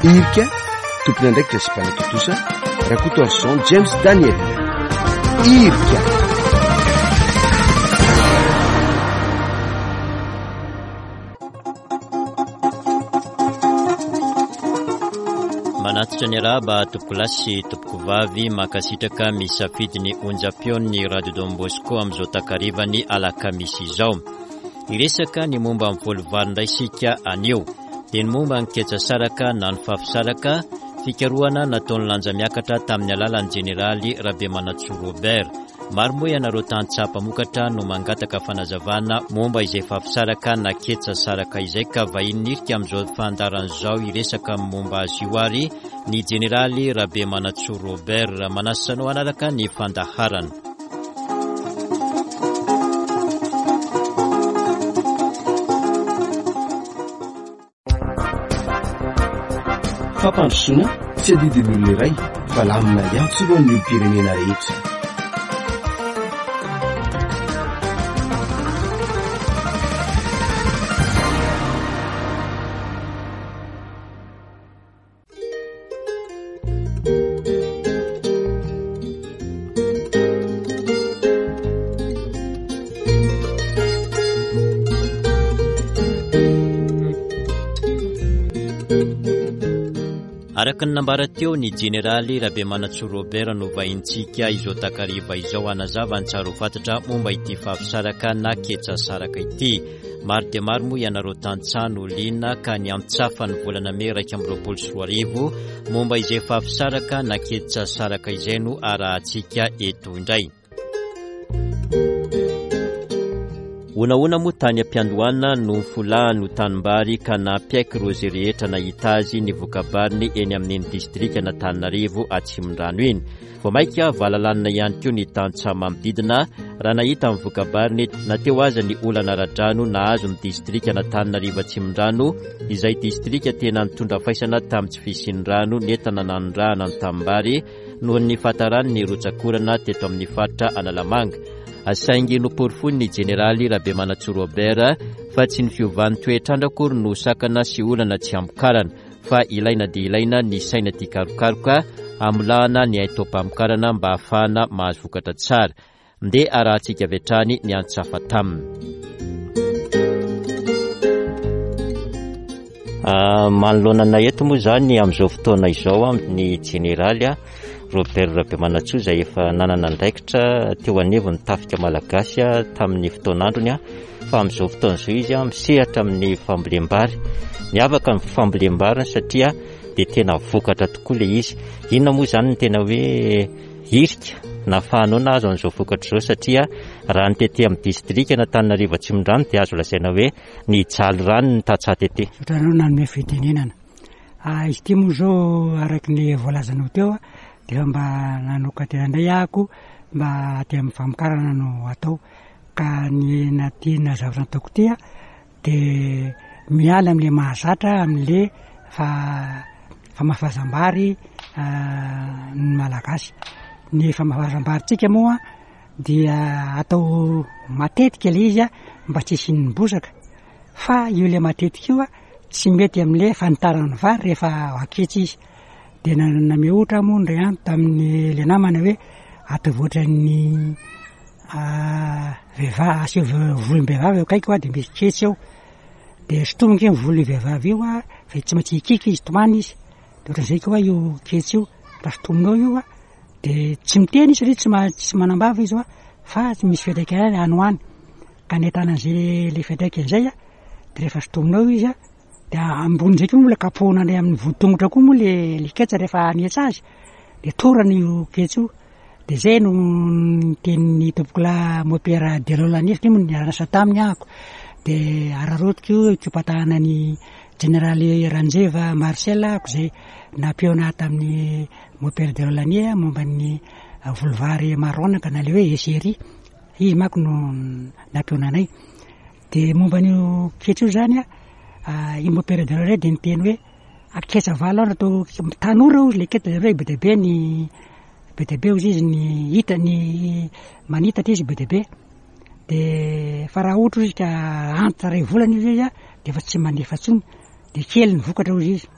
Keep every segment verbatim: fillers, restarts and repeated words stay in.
Irika, tompon'andraikitra sy mpanatontosa Rakotoarison James Daniel. Irika. Manatitra ny arahaba tompokolahy sy tompokovavy, mankasitraka misafidy ny onjam-peon'ny Radio Don Bosco amin'izao takarivany alakamisy izao. Hiresaka ny momba ny voly vary indray isika anio. Dia ny momba ny ketsa saraka na ny fafisaraka, fikarohana nataon'ny lanja miakatra tamin'ny alalan'ny jeneraly Rabemanantsoa Robert. Maro moa ianareo tantsaha mpamokatra no mangataka fanazavana momba izay fafisaraka na ketsa saraka izay, ka vahiny nirika amin'izao fandaharana izao hiresaka momba azy io ary ny jeneraly Rabemanantsoa Robert. Manasa anao hanaraka ny fandaharana. Fampandrosoana tsy adidin'ny olona iray fa lamina iantsorohan'ny olom-pirenena rehetra. Araka ny nambara teo, ny jeneraly Rabemanantsoa Robert no vahintsika izao takariva izao hanazava ny tsara ho fantatra momba ity fafisaraka na ketsa saraka ity. Maro dia maro moa ianareo tantsaha no liana ka ny antsafa ny volana mey iraika amby roapolo sy roa arivo momba izay fafisaraka na ketsa saraka izay no arahantsika eto indray. Honahona moa tany am-piandohana no nifolahany ho tanimbary ka nampiaiky ireo izay rehetra nahita azy ny vokabariny eny amin'iny distrikan'Antananarivo Atsimondrano iny. Vao mainka valalanina ihany koa ny tantsaha manodidina raha nahita ny vokabariny na teo aza ny olana ara-drano nahazo ny distrikan'Antananarivo Atsimondrano, izay distrika tena nitondra faisana tamin'ny tsy fisian'ny rano nentina nanondrahana ny tanimbary noho ny fahataran'ny rotsakorana teto amin'ny faritra Analamanga. Saingy noporofoin'ny jeneraly Rabemanantsoa Robert fa tsy ny fiovan'ny toetr'andro akory no sakana sy olana tsy hamokarana, fa ilaina dia ilaina ny saina tia karokaroka hamolahana ny haitaom-pamokarana mba hahafahana mahazo vokatra tsara. Ndeha arahantsika avy hatrany ny antsafa taminy. Manoloana anay eto moa izany amin'izao fotoana izao ny jeneraly Robert Rabemanantsoa izay efa nanana andraikitra teo anivon'ny tafika malagasy tamin'ny fotoan'androny, fa amin'izao fotoana izao izy misehatra amin'ny fambolem-bary. Miavaka ny fambolem-bariny satria dia tena vokatra tokoa ilay izy. Inona moa izany ny tena hoe hirika nahafahanao nahazo an'izao vokatra izao, satria raha ny tety amin'ny distrikan'Antananarivo Atsimondrano dia azo lazaina hoe nijaly rano ny tantsaha tety. Misaotra anao nanome fitenenana. Ah, izy ity moa izao araka ny voalazanao teo dia mba nanokan-tena indray ahako mba aty amin'ny famokarana no atao, ka ny natina zavatra nataoko ity a dia miala amin'ilay mahazatra amin'ilay fa-, famafazam-bary, ah, ny malagasy. Ny famafazam-barintsika moa dia atao matetika ilay izy a mba tsy hisian'ny bozaka, fa io ilay matetika io a tsy mety amin'ilay fanitaran'ny vary rehefa aketsy izy. Dia na-, namehy ohatra moa indray andro tamin'ny ilay namana hoe ataovy ohatran'ny, ah, vehivavy, asio volom-behivavy eo akaiky hoa dia misy ketsy eo. Dia sintomiko iny volon'io vehivavy io a, fa tsy maintsy hikiky izy, tomany izy. Dia ohatran'izay koa io ketsy io, raha sintominao io a, dia tsy miteny izy satria tsy ma-, tsy manambava izy hoa, fa misy fiantraikany ihany any ho any. Ka ny ahitana an'izay ilay fiantraikany izay a, dia rehefa sintominao izy a, dia ambonin'izay koa mbola kapohina indray amin'ny voditongotra koa moa le, le ketsa rehefa hanetsa azy, dia torana io ketsa io. Dia izay no nitenin'ny tompokolahy Mopera Delolani, satria moa niara-niasa taminy ahako. Dia araraotiko io hikopatahana ny jeneraly Ranjeva Marcel ahako izay nampihaona ahy tamin'ny Mopera Delolani momba ny voly vary maronaka na ilay hoe esery. Izy manko no nampihaona anay. Dia momba an'io ketsa io izany a, ah, i Mopera Delolani dia niteny hoe aketsa valo andro atao tanora hozy ilay ketsa, hoe be dia be ny, be dia be hozy izy ny hita, ny manitatra izy be dia be. Dia fa raha ohatra izy ka antitra iray volana izy a, dia efa tsy mandefa intsony, dia kely ny vokatra hozy izy.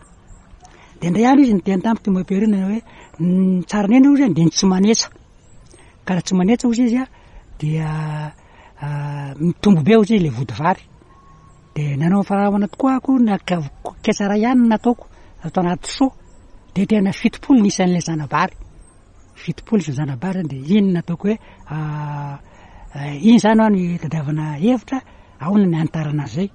De indray andro izy niteny tamiko ty mompera io hoe ny tsara indrindra hozy de ny tsy manetsa, ka raha tsy manetsa hozy izy a dia mitombo be hozy izy le vody vary. De nanao faharamana tokoa ako, naka ketsa iray ihany no nataoko atao anaty seau, de tena fitopolo ny isan'ilay zana-bary, fitopolo isan'ny zana-bary zany. De iny nataoko hoe iny zany hoa ny tadiavana hevitra ahoana ny hanitarana an'izay.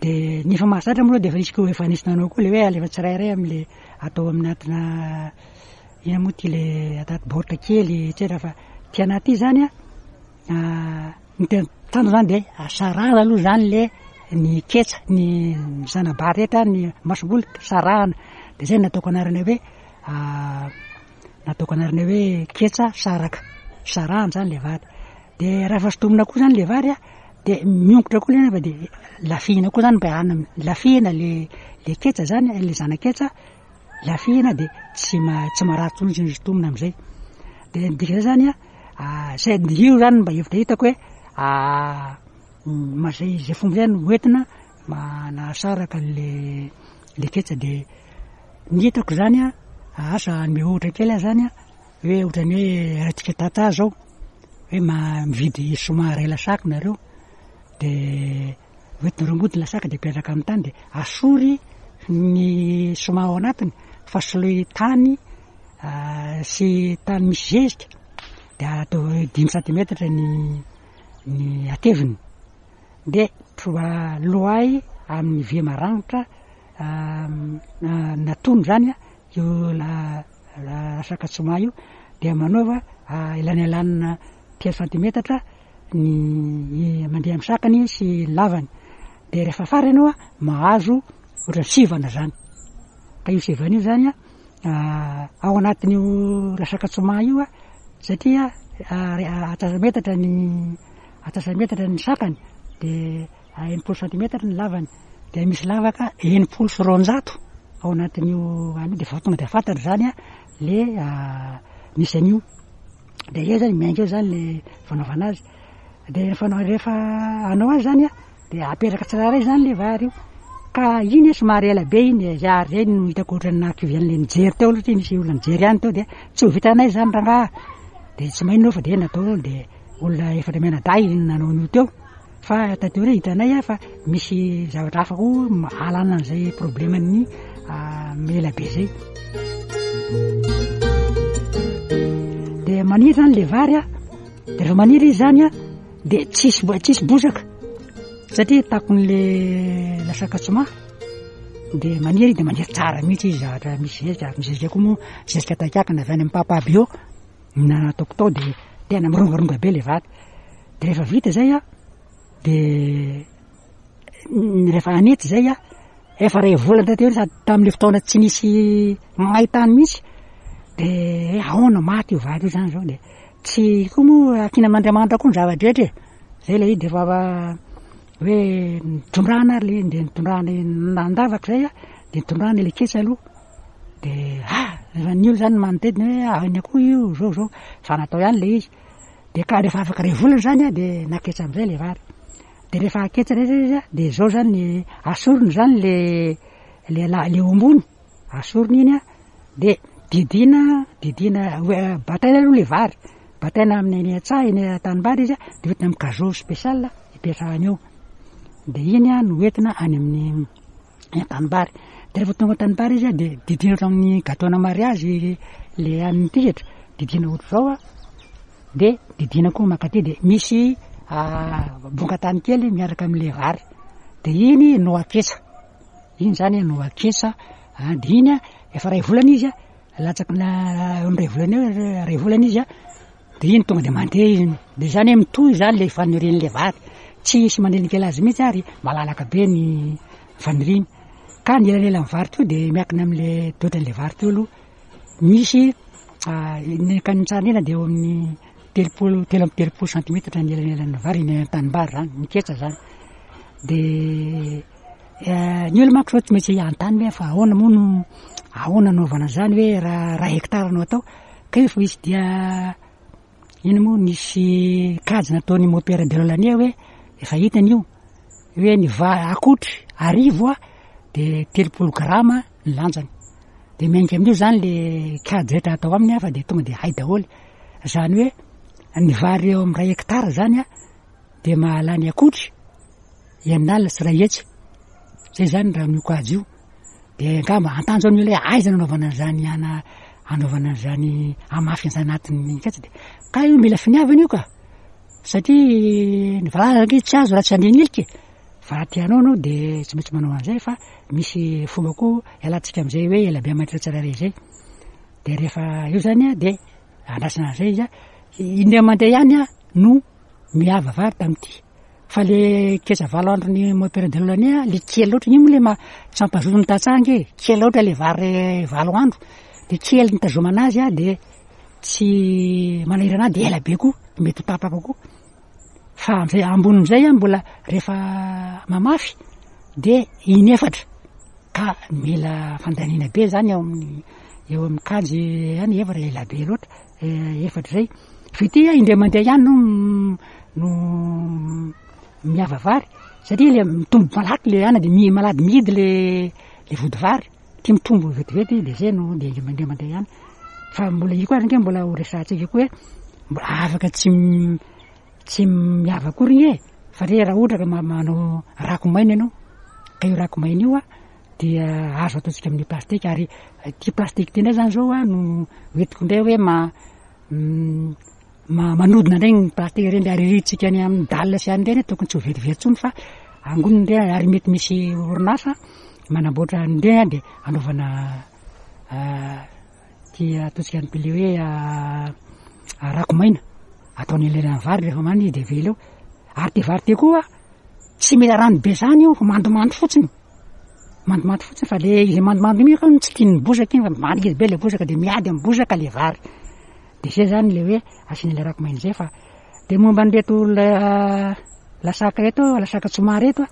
De ny efa mahazatra moa de efa nisy koa, efa nisy nanao koa le hoe alefa tsirairay am'le atao aminatina ina moa ty le anaty baoritra kely etcetera. Fa ty anaty ity zany a, ny tena tanjona zany de sarahana aloha zany le ny ketsa, ny zana-bary rehetra, ny masomboly sarahana. De zay nataoko anarana hoe nataoko anarana hoe ketsa saraka, sarahana zany le vary. De raha efa sintomina koa zany le vary a, de miongotra koa le fa de lafihina koa zany mba hanana lafihina le le ketsa zany, le zana-ketsa lafihina, de tsy ma tsy marary intsony izy sintomina am'izay. De ny dikan'izay zany a, zay io zany mba hevitra hitako hoe zay zay fomba zay no hoentina manasaraka an'le le ketsa. De ny hitako zany a, asa hanome ohatra kely aho zany a, hoe ohatran'ny hoe raha tsika tantsaha zao hoe ma- mividy soma iray lasaka nareo, de hoentinareo mody ny lasaka de apetraka amin'ny tany, de asory ny soma ao anatiny fa soloy tany sy tany misy zezika, de atao hoe dimy santimetatra ny ny hateviny, de troa loay amin'ny vy maranitra natono zany a io la lasaka tsoma io, de manaova elanelanina telo santimetatra ny mandeha amin'ny sakany sy lavany. De rehefa afara ianao a mahazo ohatran'ny sivana zany, ka io sivana io zany a ao anatin'io lasaka tsoma io a, satria antsasa-metatra ny antsasa-metatra ny sakany, de enimpolo santimetatra ny lavany, de misy lavaka enimpolo sy roanjato ao anatin'io any, de efa tonga de fantatra zany a le misy an'io. De eo zany miainga eo zany le fanaovana azy. De rehefa rehefa hanao azy zany a, de apetraka tsirairay zany le vary io, ka iny somary ela be iny, ary zay no hitako ohatran'ny nahakivy an'le nijery teo aloha, satria nisy olona nijery ihany teo, de tsy ho vitanay zany rangaha, de tsy maninona fa de natao, de olona efatra mianadahy nanao an'io teo. Fa taty aoriana hitanay a fa misy zavatra hafa koa alana an'izay probleman'ny ela be zay. De maniry zany le vary a, de rehefa maniry izy zany a, de tsisy tsisy bozaka satria takon'le lasaka tsoma, de maniry de maniry tsara mihitsy izy, zavatra misy zezika, ary misy zezika koa moa zezika takiakina avy any amin'ny papa bio na nataoko tao, de tena mirongaronga be le vary. De rehefa vita zay a, de rehefa anety zay a, efa ray volana taty aoriana, sady tamin'le fotoana tsy nisy maitany mihitsy, de ahoana maty io vary io zany zao. De tsy koa moa ankina amin'Andriamanitra koa ny zava-drehetra e, zay le izy. De efa hoe nitondrana ary le de nitondrana nandavaka zay a, de nitondrana le ketsa aloha, de ah rehefa ny olo zany manodidina hoe ahoana koa io zao zao, fa natao ihany le izy. De ka rehefa afaka ray volana zany a, de naketsa amizay le vary. De rehefa aketsa rehetra izy a, de zao zany asorina zany le le la le ombony, asorina iny a, de didina didina hoe bataina aloha le vary, bataina amin'ny eny an-tsaha eny an-tanimbary izy a, de hoentina amin'ny cajot spécial ipetrahany eo, de iny a no hoentina any amin'ny an-tanimbary. De rehefa tonga an-tanimbary izy a, de didina ohatran'ny amin'ny gâteau-na mariage le amin'ny tisatra, didina ohatr'izao a, de didina koa mankaty, de misy bonga-tany kely miaraka amin'le vary, de iny no aketsa, iny zany no aketsa. De iny a efa ray volana izy a, latsaky na ray volana eo, ray volana izy a, de iny tonga de mandeha izy. De zany hoe mitohy zany le fanirian'le vary, tsy hisy manelingelina azy mihitsy ary malalaka be ny faniriany. Ka ny elanelan'ny vary teo de miankina amin'le toetran'le vary teo aloha, misy ny ka ny tsara indrindra de eo amin'ny telopolo, telo amby telopolo santimetatra ny elanelan'ny vary eny an-tanimbary zany, ny ketsa zany. De ny olona manko zao tsy maintsy anontany hoe fa ahoana moa no ahoana anaovana zany hoe raha raha hectare no atao, ka io fa misy dia ino moa nisy kajy nataon'ny mompera de Lolania hoe efa hitany io hoe ny va akotry arivo a de telopolo grama ny lanjany. De miainga amin'io zany le kajy rehetra atao aminy a, fa de tonga de hay daholo. Zany hoe ny vary eo amin'ny ray hectare zany a de mahalany akotry enina alina sy ray hetsy. Zay zany raha amin'io kajy io. De angamba antany zao ny olona hoe aiza nanaovana an'izany ana anaovana an'izany hamafy an'izany anatin'ny ketsa de ka io mila finiavana io ka. Satria ny valala ange tsy azo raha tsy andeha nilika e. Fa raha tianao anao de tsy maintsy manao an'izay fa misy fomba koa ialantsika amin'izay hoe ela be mahantra tsirairay zay. De rehefa eo zany a de andrasana an'izay izy a, indray mandeha ihany a no miava vary tamin'ity. Fa le ketsa valo andro ny mompera Delolane a, le kely loatra iny moa le ma- tsy mampazoto ny tantsaha ange, kely loatra le vary valo andro, de kely ny tazomana azy a de tsy manahirana ahy de ela be koa, mety ho tapaka koa. Fa am'zay ambonin'izay a mbola rehefa mamafy de inefatra ka mila fandaniana be zany eo amin'ny eo amin'ny kajy any efatra ela be loatra efatra zay. Fa ity a indray mandeha ihany no no miava vary satria le mitombo malaky le ana de mi- malady mihidy le le vody vary, ty mitombo vetivety de zay no de indray mandeha ihany. Fa mbola io koa ary ange mbola ho resahantsika koa hoe mbola afaka tsy tsy miava akory iny e, fa re raha ohatra ka ma- manao rako maina ianao, ka io rako maina io a dia azo ataontsika amin'ny plastika ary ty plastika ty indray zany zao a no hoentiko indray hoe ma- ma- manodina indray ny plastika reny ariritsika any amin'ny dalle sy any reny tokony tsy ho verivery intsony fa angonina indray ary mety misy orinasa manamboatra an'ireny a de anaovana ty ataontsika le hoe rako maina ataony elanelan'ny vary rehefa mana izy de avela eo. Ary ty vary ty koa tsy mila rano be zany io fa mandomando fotsiny, mandomando fotsiny fa le izy mandomando iny koa tsy tian'ny bozaka iny fa maniry be le bozaka de miady amin'ny bozaka le vary. De zay zany le hoe asiana le rako maina zay. Fa de momba an'ireto la- lasaka reto, lasaka tsoma reto a,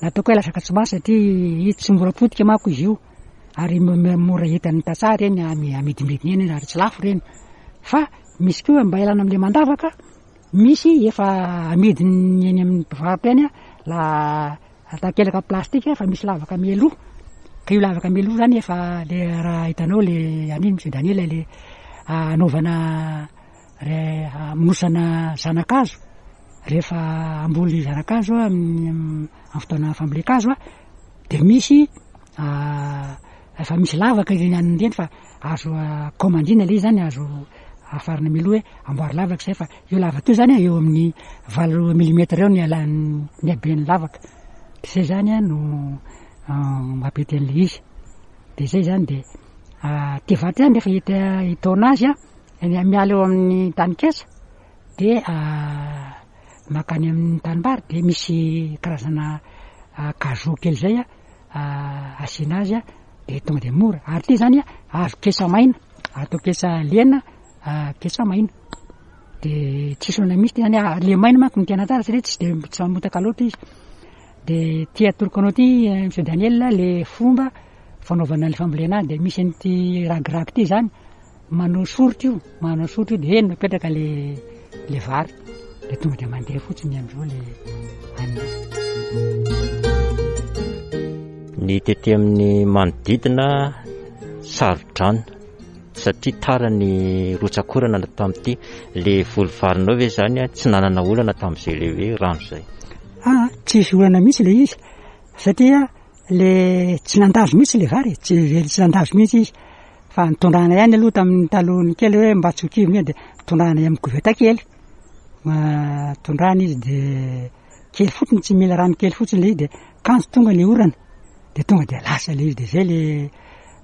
nataoko hoe lasaka tsoma satria izy tsy mora potika manko izy io ary mora hitan'ny tantsaha reny ami- amidimidiny eny ary tsy lafo reny. Fa misy koa mba ialana amin'le mandavaka, misy efa amidiny eny amin'ny mpivarotra eny a, la takelaka plastika fa misy lavaka mialoha. Ka io lavaka mialoha zany efa le raha hitanao le an'iny Monsieur Daniel le anaovana re amonosana zana-kazo rehefa hamboly zana-kazo amin'ny amin'ny fotoana fambolen-kazo a, de misy efa misy lavaka ireny anona ireny fa azo komandina le izy zany, azo afarana mialoha hoe amboary lavaka zay fa io lavaka io zany eo amin'ny valo milimetra eo ny alan'ny ny haben'ny lavaka. De zay zany a no mampety an'le izy. De zay zany de ty vary ty zany rehefa hita hitaona azy a, miala eo amin'ny tany ketsa de mankany amin'ny tanimbary de misy karazana kazo kely zay a asiana azy a de tonga de mora. Ary ty zany a azo ketsa maina, atao ketsa lena, ketsa maina. De tsisy olana mihitsy ty zany, le maina manko no tena tsara satria tsy de tsy mamotaka loatra izy. De ty atoroko anao ty Monsieur Daniel le fomba fanaovana le fambolena azy de misy an'ity ragiragy ty zany manao soritra io, manao soritra io de eny mipetraka le le vary de tonga de mandeha fotsiny am'izao le anina. Ny tety amin'ny manodidina saro-drano satria tara ny rotsakorana tamin'ity. Le voly varinao ve zany a tsy nanana olana tamin'izay le hoe rano zay? Ah, tsisy olana mihitsy le izy satria le tsy nandazo mihitsy le vary, tsy tsy nandazo mihitsy izy fa nitondrana ihany aloha tamin'ny talohany kely hoe mba tsy ho kivy de tondrana amin'ny koveta kely. Tondrana izy de kely fotsiny, tsy mila rano kely fotsiny le izy de kanjo tonga le orana de tonga de lasa le izy de zay le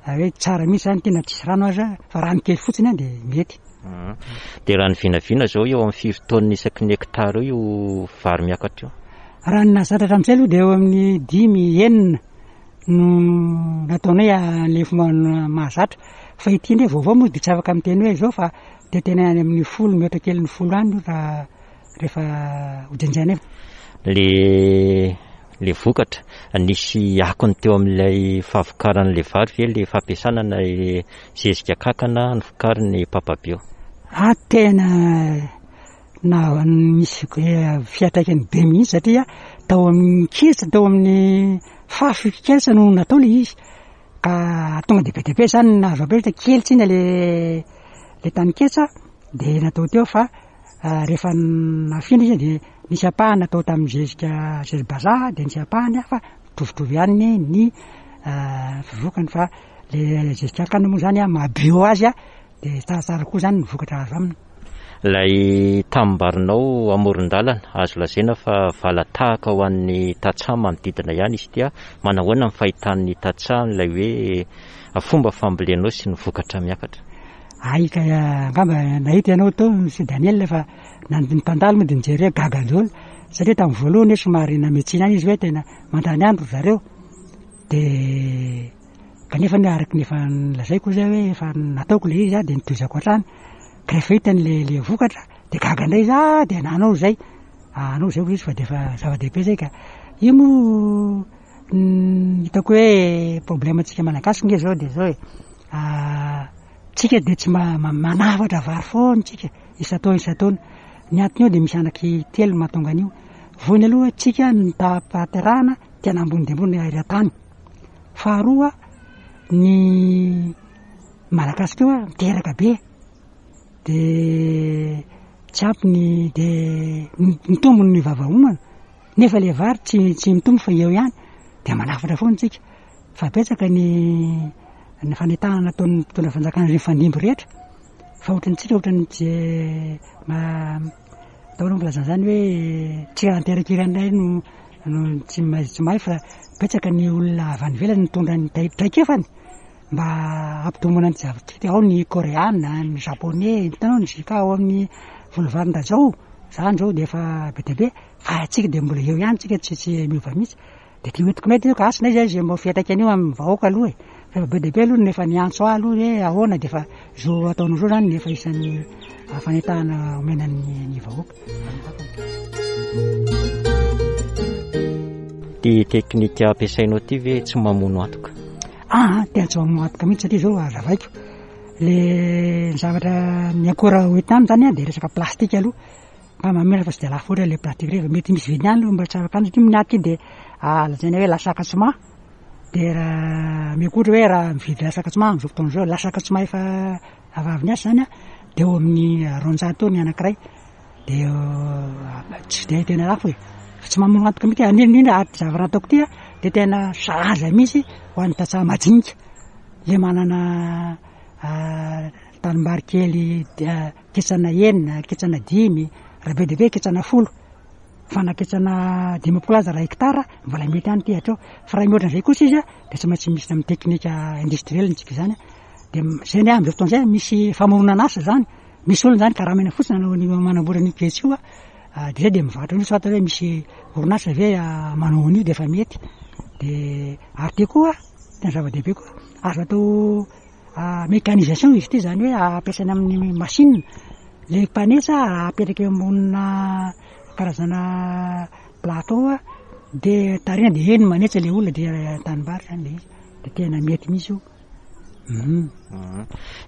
hoe tsara mihitsy zany tena tsisy rano aza fa rano kely fotsiny a de mety. De raha ny vinavina zao eo amin'ny firy taonina isaky ny hectare eo io vary miakatra io? Raha ny nahazatra hatramin'izay aloha de eo amin'ny dimy enina no nataonay le fomba mahazatra. Fa ity indray vaovao moa de tsy afaka miteny hoe zao fa de tena any amin'ny folo mihoatra kely ny folo any raha rehefa hojenjaina. Le le vokatra nisy akony teo amin'ilay fahavokaran'le vary ve le fampiasana na zezika kankana ny vokarin'ny Papa Bio? Ah, tena na nisy fiantraikany be mihitsy satria tao amin'ny ketsa, tao amin'ny fafy ketsa no natao le izy. Ka tonga de be dia be zany nahazo ampiasa, kely tsina le le taninketsa de natao teo, fa rehefa nafindra izy de nisy ampahany natao tamin'ny zezika zezi-bazaha, de nisy ampahany fa mitovitovy ihany ny fivokany, fa le zezika arkana moa zany maha bio azy a de tsaratsara koa zany ny vokatra azo aminy. Ilay tanimbarinao amoron-dalana, azo lazaina fa valatahaka ho an'ny tantsaha manodidina ihany izy ity. Manahoana ny fahitan'ny tantsaha ilay hoe fomba fambolenao sy ny vokatra miakatra? Ay ka angamba nahita ianao tao sy Daniel, fa na ny mpandalo moa de nijery hoe gaga daholo, satria tamin'ny voalohany hoe somary nametsina ihany izy hoe tena mandany andro zareo, de kanefa ny araky ny efa nolazaiko zay hoe efa nataoko le izy a de nitohizako hatrany, ka rehefa hitany le le vokatra de gaga indray izy, ah de nanao zay anao zay hoy izy, fa de efa zava-dehibe zay. Ka io moa hitako hoe problème antsika malagasy nge zao de zao e, tsika de tsy mba manafatra vary foana tsika isan-taona isan-taona. Ny antony eo de misy anaky telo mahatonga an'io. Voalohany aloha, tsika ny taham-pahaterahana tena ambony de ambony eran-tany. Faharoa, ny malagasy koa miteraka be, de tsy ampy ny de mitombo ny vavahomana, nefa le vary tsy tsy mitombo fa eo ihany, de manafatra foana tsika. Fa betsaka ny ny fanentanana nataon'ny mpitondra fanjakana reny fandimby rehetra, fa ohatrantsika ohatran'ny tsy ma atao aloha filazana zany hoe tsy anterakirandray no no tsy mahay tsy mahay, fa betsaka ny olona avy any ivelany nitondra ny traikefany mba hampitomboana ny zavatra. Ao ny koreana, ny japonais, hitanao ny J K ao amin'ny volovarin-dajao zany zao de efa be dia be, fa atsika de mbola eo ihany tsika, tsy tsy miova mihitsy. De ty hoentiko mety io ka asina izy zay mba fiantraikany io amin'ny vahoaka aloha e, fa efa be dia be aloha nefa niantso ahy aloha hoe ahoana, de efa zo ataonao zao zany nefa isan'ny fanentanana omena ny ny vahoaka. Ty teknika ampiasainao ty ve tsy mamono antoka? Ah, tena tsy mamono antoka mihitsy, satria zao azavaiko le zavatra ny akora hoentina aminy zany a de resaka plastika aloha, mba mamela fa tsy de lafo loatra le plastika reny, fa mety misy vidiny ihany aloha mba tsy afaka any, satria ny aty de lazaina hoe lasaka tsima, de raha meko ohatra hoe raha mividy lasaka tsima am'izao fotoana zao, lasaka tsima efa avy avy niasa zany a de eo amin'ny roanjato eo ny anankiray, de tsy de tena lafo e, fa tsy mamono antoka mihitsy. Indrindra indrindra zavatra ataoko ty a de tena sahaza mihitsy ho an'ny tantsaha majinika le manana tanimbary kely ketsana enina, ketsana dimy, raha be dia be ketsana folo, fa na ketsana dimampolo aza raha hektara mbola mety ihany ty hatreo, fa raha mihoatra an'izay kosa izy a de tsy maintsy misy amin'ny teknika industriel ntsika zany a, de zay ny am'izao fotoana zay misy famoronana asa zany, misy olona zany karamaina fotsiny hanao an'io manamboatra an'io ketsa io a, de zay de mivarotra an'io, soit hoe misy orinasa ve manao an'io de efa mety. De ary ty koa tena zava-dehibe koa, azo atao mécanisation izy ity, zany hoe ampiasaina amin'ny machine le mpanetsa, apetraka eo ambonina karazana plateau a de tarina, de eny manetsa le olona, de tanimbary zany le izy, de tena mety mihitsy io.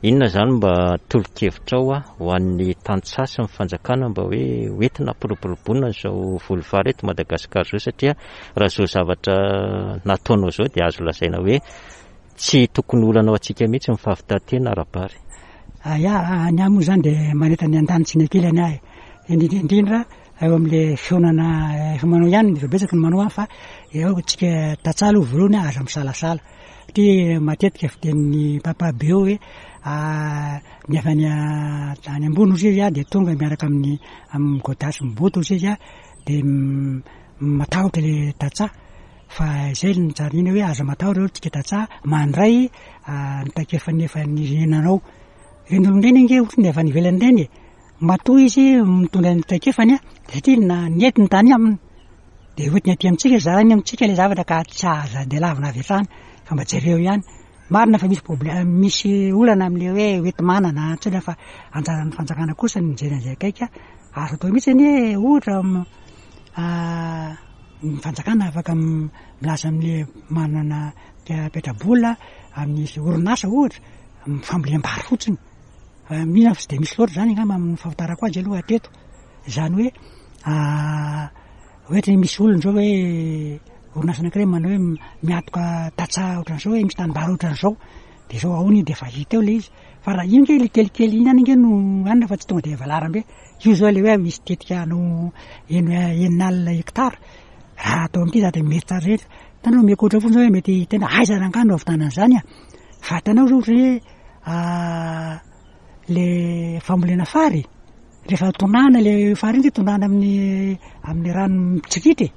Inona zany mba tolo-kevitrao a ho an'ny tantsaha sy ny fanjakana mba hoe hoentina hampiroboroboana izao voly vary eto Madagasikara zao, satria raha zao zavatra nataonao zao de azo lazaina hoe tsy tokony olana ho antsika mihitsy ny fahavitan-tena ara-bary. Ia, ny ahy moa zany de manentana ny andaniny sy ny ankilany ahy, indrindra indrindra eo amin'le fihaonana efa manao ihany, efa betsaka ny manao any, fa eo tsika tantsaha aloha voalohany aza misalasala, satria matetika fitenin'ny papa be eo hoe ny avy any any ambony ozy izy a de tonga miaraka amin'ny amin'ny godasy miboto ozy izy a de matahotra le tantsaha, fa zay no tsara indrindra hoe aza matahotra aloha tsika tantsaha mandray ny traikefa efa nirenanao. Ireny olona ireny ange ohatry ny avy any ivelany ireny e, matoa izy mitondra ny traikefany a satria na nety ny tany aminy, de hoentiny aty amintsika zarainy amintsika le zavatra, ka tsy aza de lavina avy hatrany fa mba jereo ihany. Marina fa misy problème, misy olana am'le hoe hoenti-manana antsona, fa anjaran'ny fanjakana kosa ny mijery an'izay akaiky. Azo atao mihitsy anie ohatra ny fanjakana afaka milaza am'le manana petrabola amin'ny orinasa ohatra fambolem-bary fotsiny, mihina fa tsy de misy loatra zany angamba amin'ny fahafantarako azy aloha hatreto. Zany hoe ohatra misy olona zao hoe orinasa anankiray manao hoe miatoka tantsaha ohatran'izao hoe misy tanimbary ohatran'izao, de zao ahoana iny de efa hita eo le izy. Fa raha iny ke le kelikely iny ihany ange no anina fa tsy tonga de valaram-be. Io zao le hoe misy tetika hanao eno- enina alina hektara, raha atao amin'ity za de mety tsara rehetra. Hitanao omeko ohatra fotsiny zao hoe mety tena aiza rangahy no ahavitana an'izany a. Fa hitanao zao ohatra hoe le fambolena fary, rehefa tondrahana le fary iny de tondrahana amin'ny amin'ny rano mitsiritra e,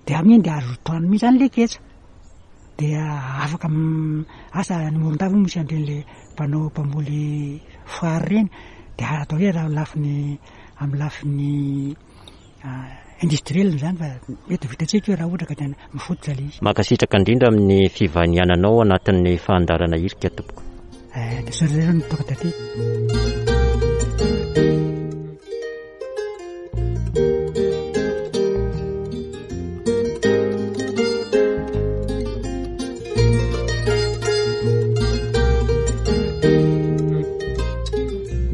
de amin'iny de azo tohanina mihitsy zany le ketsa. De afaka asa any Morondava moa misy an'ireny le mpanao mpamboly fary ireny, de atao hoe raha lafiny amin'ny lafiny industriel zany fa mety ho vitantsika io raha ohatra ka tena mifototra le izy. Mankasitraka indrindra amin'ny fivahiniananao anatin'ny fandaharana Irika tompoko. Eh, misaotra indrindra ny tonga taty.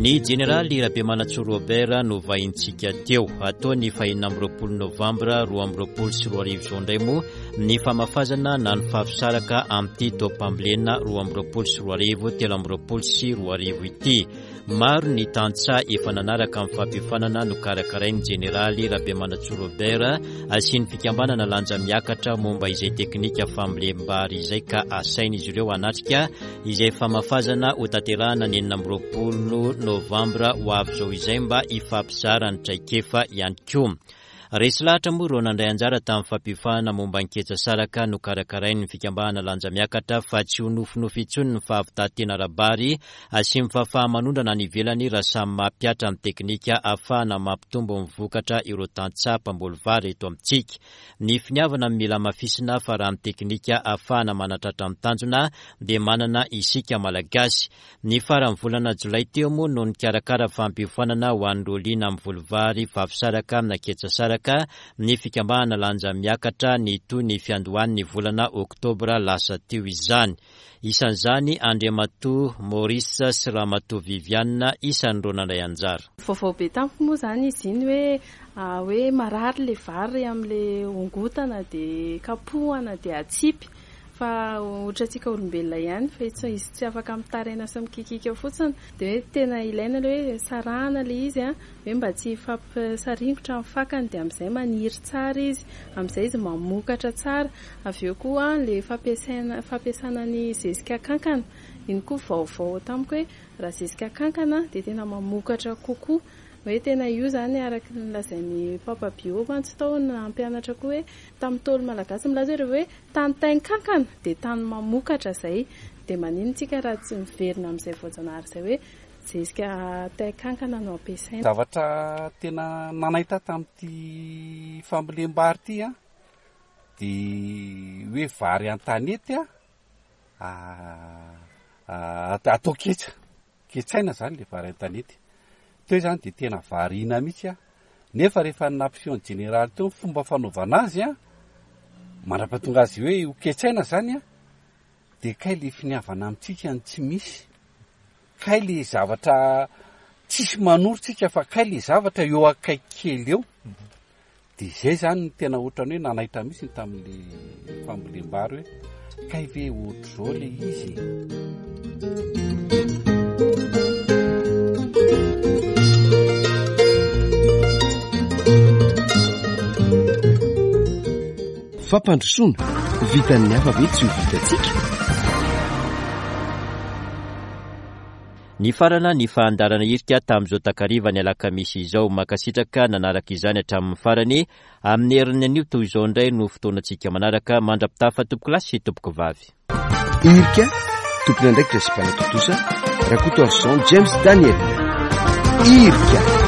Ny jeneraly Rabemanantsoa Robert no vahintsika teo. Atao ny fahenina amby roapolo novambra roa amby roapolo sy roa arivo izao indray moa ny famafazana na ny fafisaraka amin'ity taom-pambolena roa amby roapolo sy roa arivo telo amby roapolo sy roa arivo ity. Maro ny tantsaha efa nanaraka amin'ny fampiofanana nokarakarain'ny jeneraly Rabemanantsoa Robert asian'ny fikambanana lanja miakatra momba izay teknika fambolem-bary izay ka asain'izy ireo hanatrika izay famafazana ho tanterahana ny enina amby roapolo novambra ho avy izao izay mba hifampizara ny traikefa ihany koa. Resy lahatra moa ireo nandray anjara tamin'ny fampiofanana momba ny ketsa saraka nokarakarain'ny fikambanana lanja miakatra fa tsy ho nofinofy intsony ny fahavitantena ara-bary asian'ny fahafaha-manondrana any ivelany raha samy mampihatra ny teknika ahafahana mampitombo ny vokatra ireo tantsaha mpamboly vary eto amintsika. Ny finiavana no mila hamafisina fa raha ny teknika ahafahana manatratra ny tanjona dia manana isika malagasy. Ny faran'ny volana jolay teo moa no nikarakara fampiofanana ho an'ireo liana amin'ny voly vary vavy na ketsa saraka ny fikambanana lanja miakatra ny toy ny fiandohan'ny volana oktobra lasa teo izany. Isan'izany Andriamatoa Maurice sy Ramatoa Viviane isan'ireo nandray anjara. Vaovao be tamiko moa zany izy iny hoe hoe marary le vary amin'le ongotana de kapohana de atsipy fa ohatra antsika olombelona ihany fa izy tsy afaka mitaraina sy mikikika fotsiny de hoe tena ilaina le hoe sarahana le izy a hoe mba tsy hifampisaringotra amin'ny fakany de amin'izay maniry tsara izy, amin'izay izy mamokatra tsara. Avy eo koa le fampiasaina fampiasana ny zezika kankana iny koa vaovao tamiko hoe raha zezika kankana de tena mamokatra kokoa. Hoe tena io zany araka ny lazain'ny Papa Bio mantsy tao nampianatra koa hoe tamin'ny Ntaolo malagasy milaza hoe hoe tany tain-kankana de tany mamokatra zay, de maninona tsika raha tsy miverina amin'izay voajanahary izay hoe zezika tain-kankana no ampiasaina. Zavatra tena nanaitra tamin'ity fambolem-bary ity a, de hoe vary an-tanety a, atao ketsa, ketsaina zany le vary an-tanety. Teo zany de tena variana mihitsy a, nefa rehefa nampiseho ny jeneraly teo ny fomba fanaovana azy a, mandra-pahatonga azy hoe ho ketsaina zany a, de kay le finiavana amintsika ny tsy misy, kay le zavatra tsisy manoro tsika fa kay le zavatra eo akaiky kely eo. De zay zany ny tena ohatrany hoe nanaitra mihitsy ny tamin'le fambolem-bary hoe kay ve ohatr'izao le izy. Fampandrosoana vitan'ny hafa ve tsy ho vitantsika? Ny farana ny fandaharana Irika tamin'izao takariva ny alakamisy izao. Mankasitraka nanaraka izany hatramin'ny farany. Amin'ny herin'ny anio toy izao indray no fotoanantsika manaraka. Mandra-pitafa tompoko lahy sy tompoko vavy. Irika, tompon'andraikitra sy mpanatontosa, Rakotoarison James Daniel. Irika.